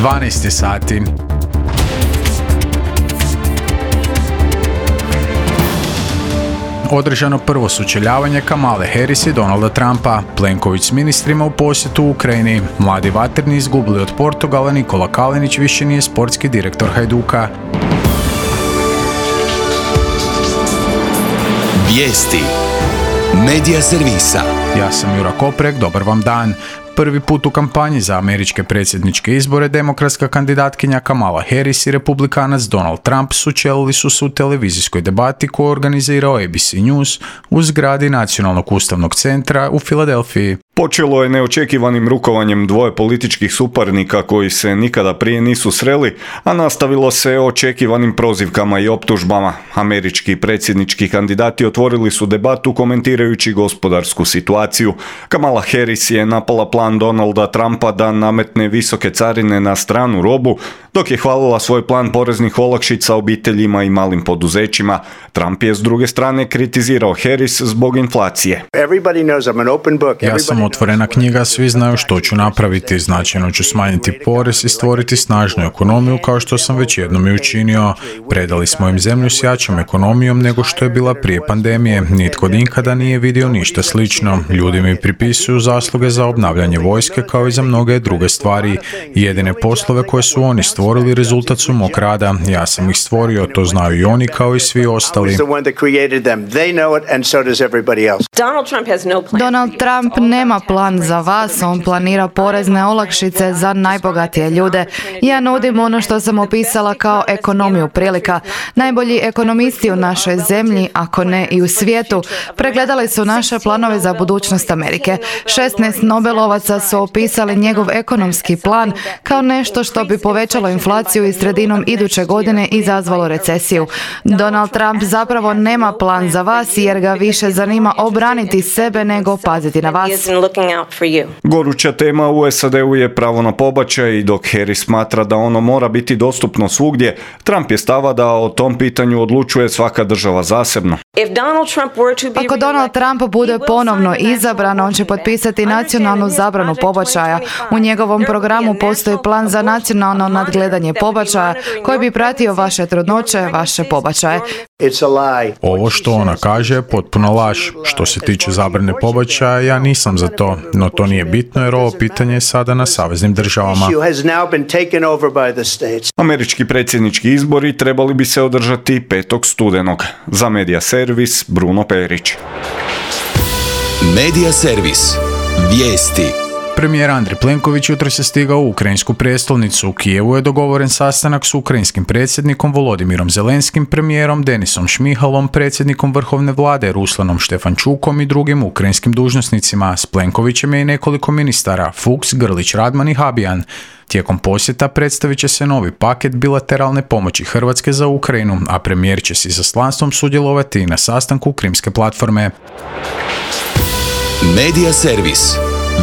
12 sati. Održano prvo sučeljavanje Kamale Harris i Donalda Trumpa, Plenković s ministrima u posjetu u Ukrajini, mladi vatreni izgubili od Portugala, Nikola Kalinić više nije sportski direktor Hajduka. Vijesti Medija servisa. Ja sam Jura Koprek, dobar vam dan. Prvi put u kampanji za američke predsjedničke izbore demokratska kandidatkinja Kamala Harris i republikanac Donald Trump sučelili su se u televizijskoj debati koju je organizirao ABC News u zgradi Nacionalnog ustavnog centra u Filadelfiji. Počelo je neočekivanim rukovanjem dvoje političkih suparnika koji se nikada prije nisu sreli, a nastavilo se očekivanim prozivkama i optužbama. Američki predsjednički kandidati otvorili su debatu komentirajući gospodarsku situaciju. Kamala Harris je napala plan Donalda Trumpa da nametne visoke carine na stranu robu, dok je hvalila svoj plan poreznih olakšica obiteljima i malim poduzećima. Trump je s druge strane kritizirao Harris zbog inflacije. Ja sam otvorena knjiga, svi znaju što ću napraviti. Značajno ću smanjiti porez i stvoriti snažnu ekonomiju kao što sam već jednom i učinio. Predali smo im zemlju s jačom ekonomijom nego što je bila prije pandemije. Nitko nikada nije vidio ništa slično. Ljudi mi pripisuju zasluge za obnavljanje vojske kao i za mnoge druge stvari. Jedine poslove koje su oni stvorili rezultat su mog rada. Ja sam ih stvorio, to znaju i oni kao i svi ostali. Donald Trump nema plan za vas, on planira porezne olakšice za najbogatije ljude. Ja nudim ono što sam opisala kao ekonomiju prilika. Najbolji ekonomisti u našoj zemlji, ako ne i u svijetu, pregledali su naše planove za budućnost Amerike. 16 Nobelovaca su opisali njegov ekonomski plan kao nešto što bi povećalo inflaciju i sredinom iduće godine izazvalo recesiju. Donald Trump zapravo nema plan za vas jer ga više zanima obraniti sebe nego paziti na vas. Goruća tema u SAD-u je pravo na pobačaj i dok Harris smatra da ono mora biti dostupno svugdje, Trump je stava da o tom pitanju odlučuje svaka država zasebno. Ako Donald Trump bude ponovno izabran, on će potpisati nacionalnu zabranu pobačaja. U njegovom programu postoji plan za nacionalno nadgledanje pobačaja koji bi pratio vaše trudnoće, vaše pobačaje. Ovo što ona kaže je potpuno laž. Što se tiče zabrane pobačaja, ja nisam za to, no to nije bitno jer ovo pitanje je sada na saveznim državama. Američki predsjednički izbori trebali bi se održati 5. studenog. Za Medija servis Bruno Perić. Medija servis. Vijesti. Premijer Andrej Plenković jutros je stigao u ukrajinsku prijestolnicu. U Kijevu je dogovoren sastanak s ukrajinskim predsjednikom Volodimirom Zelenskim, premijerom Denisom Šmihalom, predsjednikom vrhovne vlade Ruslanom Štefančukom i drugim ukrajinskim dužnosnicima. S Plenkovićem je i nekoliko ministara, Fuchs, Grlić, Radman i Habijan. Tijekom posjeta predstavit će se novi paket bilateralne pomoći Hrvatske za Ukrajinu, a premijer će s izaslanstvom sudjelovati i na sastanku Krimske platforme. Medija servis.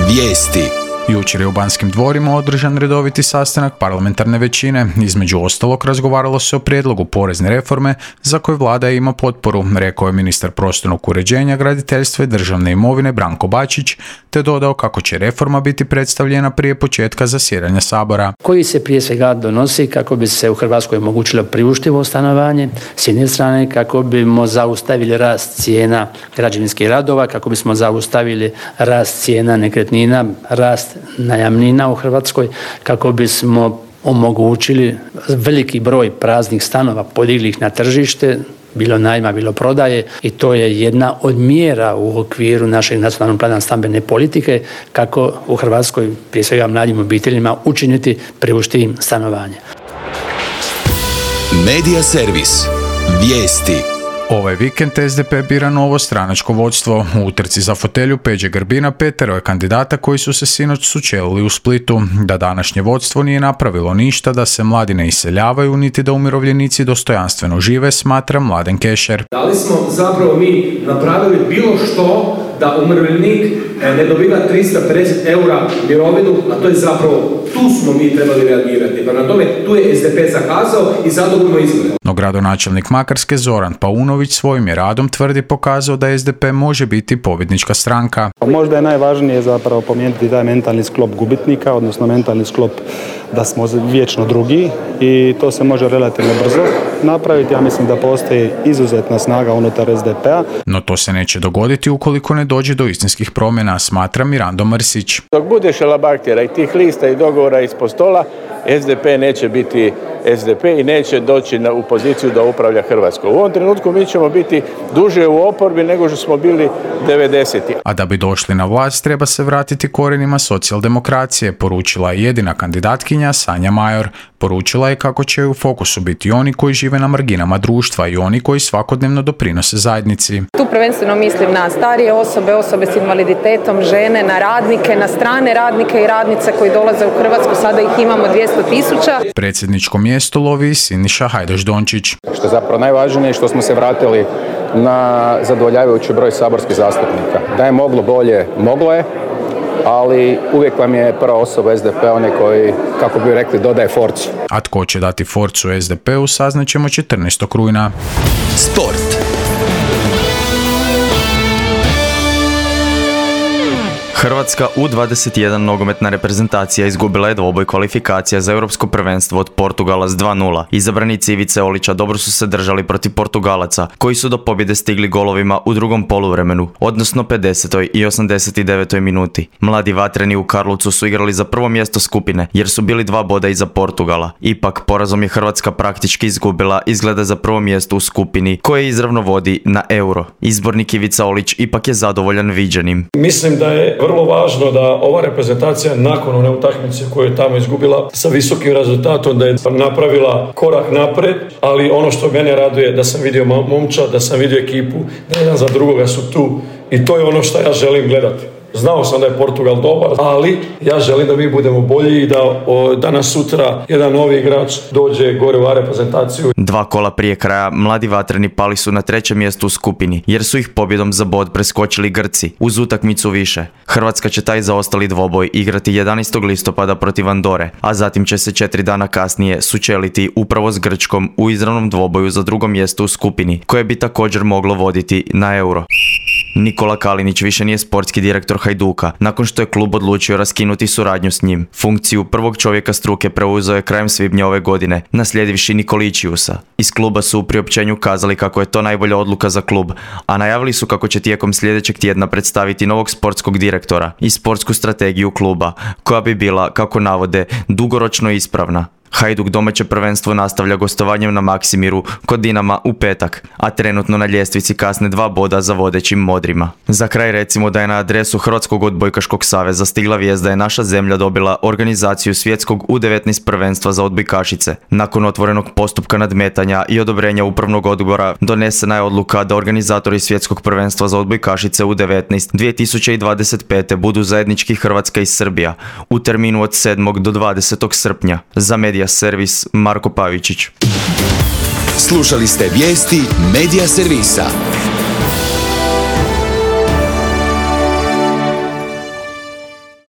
Vijesti. Jučer je u Banskim dvorima održan redoviti sastanak parlamentarne većine. Između ostalog razgovaralo se o prijedlogu porezne reforme za koju vlada ima potporu, rekao je ministar prostornog uređenja, graditeljstva i državne imovine Branko Bačić, te dodao kako će reforma biti predstavljena prije početka zasjedanja Sabora. Koji se prije svega donosi kako bi se u Hrvatskoj omogućilo priuštivo stanovanje, s jedne strane kako bismo zaustavili rast cijena građevinskih radova, kako bismo zaustavili rast cijena nekretnina, rast najamnina u Hrvatskoj, kako bismo omogućili veliki broj praznih stanova, podigli ih na tržište, bilo najma, bilo prodaje, i to je jedna od mjera u okviru našeg nacionalnog plana stambene politike kako u Hrvatskoj, prije svega mladim obiteljima, učiniti priuštivim stanovanje. Medija servis. Vijesti. Ovaj vikend SDP bira novo stranačko vodstvo. U utrci za fotelju Peđe Grbina petero je kandidata koji su se sinoć sučelili u Splitu. Da današnje vodstvo nije napravilo ništa da se mladi ne iseljavaju, niti da umirovljenici dostojanstveno žive, smatra Mladen Kešer. Da li smo zapravo mi napravili bilo što da umirovljenik ne dobiva 350 eura mirovinu, a to je zapravo, tu smo mi trebali reagirati. Pa na tome, tu je SDP zakazao i zadovoljno izgleda. No No gradonačelnik Makarske Zoran Paunović svojim je radom tvrdi pokazao da SDP može biti pobjednička stranka. Možda je najvažnije zapravo pomijeniti taj mentalni sklop gubitnika, odnosno mentalni sklop da smo vječno drugi i to se može relativno brzo napraviti. Ja mislim da postoji izuzetna snaga unutar SDP-a. No to se neće dogoditi ukoliko ne dođe do istinskih promjena, smatra Mirando Mrsić. Dok bude šalabahtera i tih lista i dogovora ispod stola, SDP neće biti SDP i neće doći u poziciju da upravlja Hrvatskom. U ovom trenutku mi ćemo biti duže u oporbi nego što smo bili 90. A da bi došli na vlast treba se vratiti korijenima socijaldemokracije, poručila je jedina kandidatkinja Sanja Major. Poručila je kako će u fokusu biti oni koji žive na marginama društva i oni koji svakodnevno doprinose zajednici. Tu prvenstveno mislim na starije osobe, osobe s invaliditetom, žene, na radnike, na strane radnike i radnice koji dolaze u Hrvatsku, sada ih imamo 200.000. Predsjedničko mjesto lovi Siniša Hajdaš-Dončić. Što je zapravo najvažnije što smo se vratili na zadovoljavajući broj saborskih zastupnika. Da je moglo bolje, moglo je, ali uvijek vam je prva osoba SDP onaj koji, kako bi rekli, dodaje forcu. A tko će dati forcu SDP-u saznaćemo 14. rujna. Sport. Hrvatska U21 nogometna reprezentacija izgubila je dvoboj kvalifikacija za europsko prvenstvo od Portugala s 2:0. Izabranici Ivice Olića dobro su se držali protiv Portugalaca, koji su do pobjede stigli golovima u drugom poluvremenu, odnosno 50. i 89. minuti. Mladi vatreni u Karlovcu su igrali za prvo mjesto skupine, jer su bili 2 boda iza Portugala. Ipak, porazom je Hrvatska praktički izgubila izgleda za prvo mjesto u skupini, koje izravno vodi na Euro. Izbornik Ivica Olić ipak je zadovoljan viđenim. Mislim da je vrlo važno da ova reprezentacija nakon one utakmice koju je tamo izgubila sa visokim rezultatom da je napravila korak napred, ali ono što mene raduje da sam vidio momčad, da sam vidio ekipu, da jedan za drugoga su tu i to je ono što ja želim gledati. Znao sam da je Portugal dobar, ali ja želim da mi budemo bolji i da danas sutra jedan novi igrač dođe gore u reprezentaciju. 2 kola prije kraja mladi vatreni pali su na 3. mjestu u skupini, jer su ih pobjedom za bod preskočili Grci uz utakmicu više. Hrvatska će taj zaostali dvoboj igrati 11. listopada protiv Andore, a zatim će se 4 dana kasnije sučeliti upravo s Grčkom u izravnom dvoboju za 2. mjesto u skupini, koje bi također moglo voditi na Euro. Nikola Kalinić više nije sportski direktor Hajduka, nakon što je klub odlučio raskinuti suradnju s njim. Funkciju prvog čovjeka struke preuzeo je krajem svibnja ove godine, naslijedivši Nikoličiusa. Iz kluba su u priopćenju kazali kako je to najbolja odluka za klub, a najavili su kako će tijekom sljedećeg tjedna predstaviti novog sportskog direktora i sportsku strategiju kluba, koja bi bila, kako navode, dugoročno ispravna. Hajduk domaće prvenstvo nastavlja gostovanjem na Maksimiru kod Dinama u petak, a trenutno na ljestvici kasne 2 boda za vodećim modrima. Za kraj recimo da je na adresu Hrvatskog odbojkaškog saveza stigla vijest da je naša zemlja dobila organizaciju svjetskog U19 prvenstva za odbojkašice. Nakon otvorenog postupka nadmetanja i odobrenja upravnog odbora donesena je odluka da organizatori svjetskog prvenstva za odbojkašice U19 2025. budu zajednički Hrvatska i Srbija u terminu od 7. do 20. srpnja. Za Medija Servis Marko Pavičić. Slušali ste vijesti Medija Servisa.